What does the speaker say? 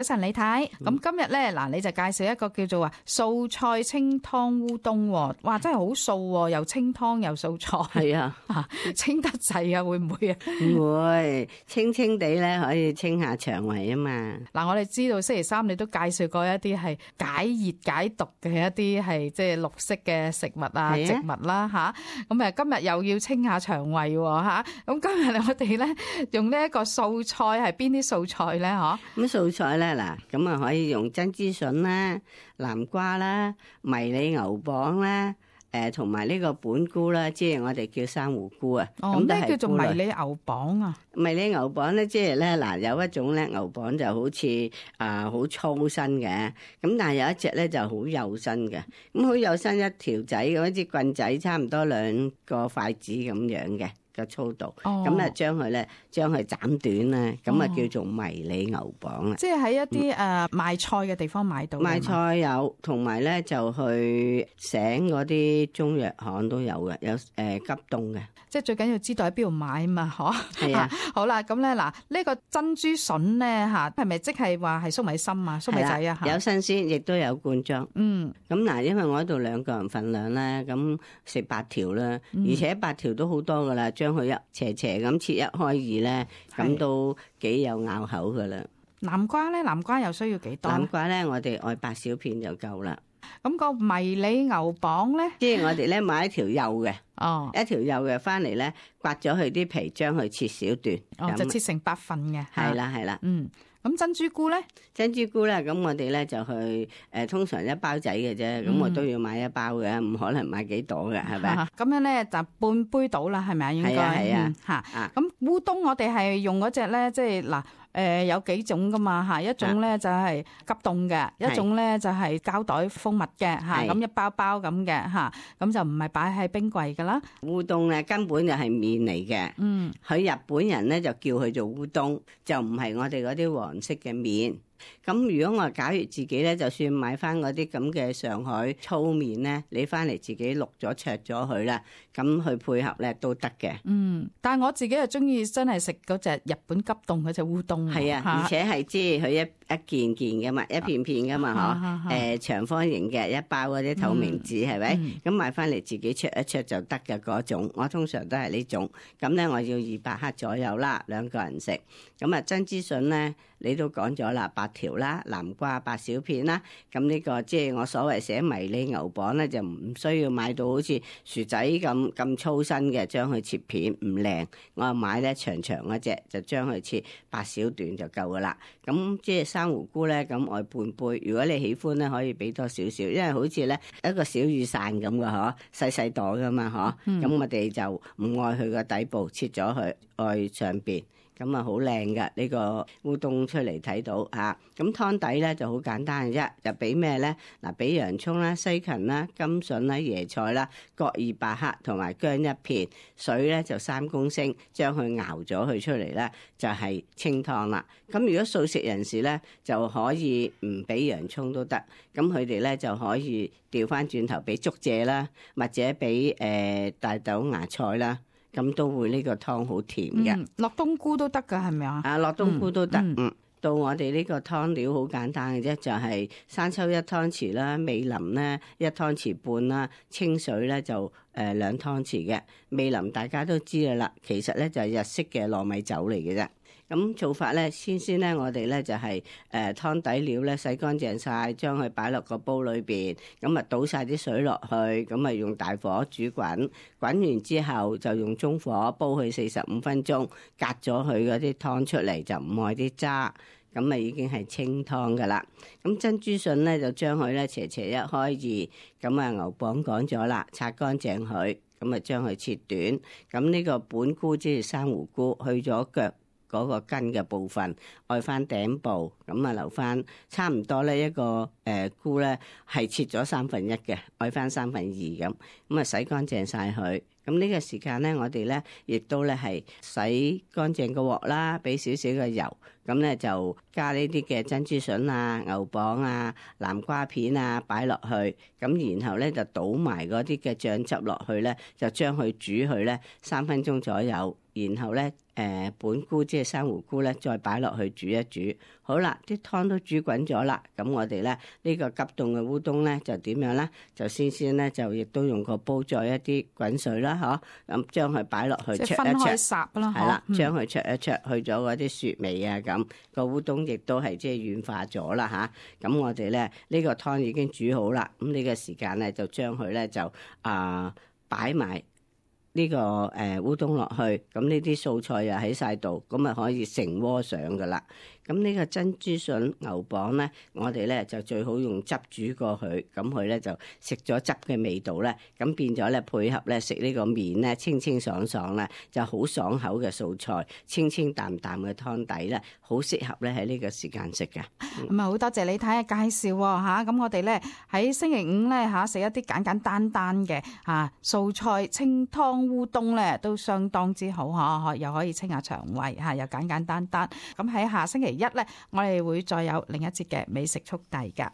早晨李太，咁今日咧嗱，你就介紹一個叫做素菜清湯烏冬喎，哇真係好素喎，又清湯又素菜。係啊，清得滯啊，會唔會啊？唔會，清清地咧可以清下腸胃啊嘛。嗱，我哋知道星期三你都介紹過一啲係解熱解毒嘅一啲係即係綠色嘅食物啊植物啦吓，咁今日又要清下腸胃喎吓，咁今日我哋咧用呢一個素菜係邊啲素菜咧嗬？咁素菜咧嗱，咁啊可以用珍珠筍啦、南瓜啦、迷你牛蒡啦，同埋呢個本菇啦，即係我哋叫珊瑚菇啊。哦，咩叫做迷你牛蒡啊？迷你牛蒡咧，即係咧嗱，有一種咧牛蒡就好似好粗身嘅，咁但係有一隻咧就好幼身嘅，咁好幼身一條仔咁一支棍仔，差唔多2個筷子咁樣嘅個粗度，咁啊將佢斬短啦，咁啊叫做迷你牛蒡啦。即係喺一啲賣菜嘅地方買到。賣菜有，同埋咧就去醒嗰啲中藥行都有嘅，有急凍嘅。即係最緊要知道喺邊度買啊嘛，嗬。係啊。好啦，咁咧嗱，呢個珍珠筍咧嚇，係咪即係話係粟米芯啊、粟米仔啊？有新鮮，亦都有罐裝。嗯。咁嗱，因為我喺度2個人份量咧，咁食8條啦，而且8條都好多噶啦，將佢一斜斜咁切一開二咧，咁都幾有咬口噶啦。南瓜咧，南瓜又需要幾多？南瓜咧，我哋愛8小片就夠啦。咁個迷你牛蒡咧，即係我哋咧買一條幼嘅，一條幼嘅翻嚟咧，刮咗佢啲皮，將佢切小段，就切成8份嘅。係啦係啦，咁珍珠菇咧？珍珠菇咧，咁我哋咧就去通常1包仔嘅啫，咁我都要買1包嘅，唔可能買幾朵嘅，係咪？咁樣咧就半杯到啦，係咪啊？應該係啊，嚇。咁烏冬我哋係用嗰隻咧，即係嗱。有幾種噶嘛嚇，一種咧就係急凍嘅，一種咧就係膠袋封密嘅嚇，咁一包包咁嘅嚇，咁就唔係擺喺冰櫃噶啦。烏冬咧根本就係麵嚟嘅，佢日本人咧就叫佢做烏冬，就唔係我哋嗰啲黃色嘅麵。咁如果我假如自己咧，就算買翻嗰啲咁嘅上海粗麵咧，你翻嚟自己淥咗焯咗佢啦，咁去配合咧都得嘅。但係我自己又中意真係食嗰隻日本急凍嗰隻烏冬。係啊，而且係即係佢一件件嘅嘛，一片片嘅嘛嗬，長方形嘅一包嗰啲透明紙係咪？咁買翻嚟自己焯一焯就得嘅嗰種。我通常都係呢種。咁咧我要200克左右啦，2個人食。咁啊珍珠筍咧，你都講咗啦，8條啦，南瓜8小片啦。咁呢個即係我所謂寫迷你牛蒡咧，就唔需要買到好似薯仔咁粗身嘅，將佢切片唔靚。我買咧長長嗰隻，就將佢切8小段就夠噶啦。咁即係珊瑚菇咧，咁愛半杯。如果你喜歡咧，可以俾多少少，因為好似咧一個小雨傘咁嘅嗬，細細朵噶嘛嗬。咁我哋就唔愛佢個底部，切咗佢愛上邊。咁啊好靚噶呢個烏冬出嚟睇到嚇，咁湯底咧就好簡單嘅啫，就俾咩咧？嗱，俾洋葱啦、西芹啦、甘筍啦、椰菜啦，各200克，同埋薑1片，水咧就3公升，將佢熬咗佢出嚟咧，就係清湯啦。咁如果素食人士咧，就可以唔俾洋葱都得，咁佢哋咧就可以調翻轉頭俾竹蔗啦，或者俾大豆芽菜啦。咁都會呢個湯好甜嘅，落冬菇都得噶，係咪啊？落冬菇都得。到我哋呢個湯料好簡單嘅啫，就係生抽1湯匙啦，味淋咧1湯匙半啦，清水咧就2湯匙嘅。味淋大家都知嘅啦，其實咧就係日式嘅糯米酒嚟嘅啫。咁做法咧，先咧，我哋咧就係湯底料咧洗乾淨晒，將佢擺落個煲裏邊，咁啊倒晒啲水落去，咁啊用大火煮滾，滾完之後就用中火煲佢45分鐘，隔咗佢嗰啲湯出嚟，就唔愛啲渣，咁啊已經係清湯噶啦。咁珍珠筍咧就將佢咧斜斜一開二，咁啊牛蒡講咗啦，擦乾淨佢，咁啊將佢切短。咁呢個本菇即係珊瑚菇，去咗腳嗰個根嘅部分，愛翻頂部，咁啊留翻差唔多咧一個菇咧係切咗1/3嘅，愛翻2/3咁，咁啊洗乾淨晒佢。咁呢個時間咧，我哋咧亦都咧係洗乾淨個鑊啦，俾少少嘅油，咁咧就加呢啲嘅珍珠筍啊、牛蒡啊、南瓜片啊擺落去，咁然後咧就倒埋嗰啲嘅醬汁落去咧，就將佢煮佢咧3分鐘左右，然後咧本菇即係生胡菇咧，再擺落去煮一煮。好啦，啲湯都煮滾咗啦，咁我哋咧呢個急凍嘅烏冬咧就點樣咧？就先咧就亦都用個煲載一啲滾水啦，咁將佢擺落去即係分開烚啦，係啦，將佢焯一焯，去咗嗰啲雪味啊，咁個烏冬亦都係即係軟化咗啦咁我哋咧呢個湯已經煮好啦，咁呢個時間咧就將佢咧就擺埋呢個烏冬落去，咁呢啲素菜又喺晒度，咁啊可以成鍋上噶啦。咁呢個珍珠筍牛蒡咧，我哋咧就最好用汁煮過佢，咁佢咧就食咗汁嘅味道咧，咁變咗咧配合咧食呢個麵咧清清爽爽咧，就好爽口嘅素菜，清清淡淡嘅湯底咧，好適合咧喺呢個時間食嘅。咁啊好多謝你睇嘅介紹喎，咁我哋咧喺星期五咧食一啲簡簡單單嘅素菜清湯烏冬咧都相當之好又可以清下腸胃又簡簡單單。咁喺下星期一咧，我哋會再有另一節嘅美食速遞㗎。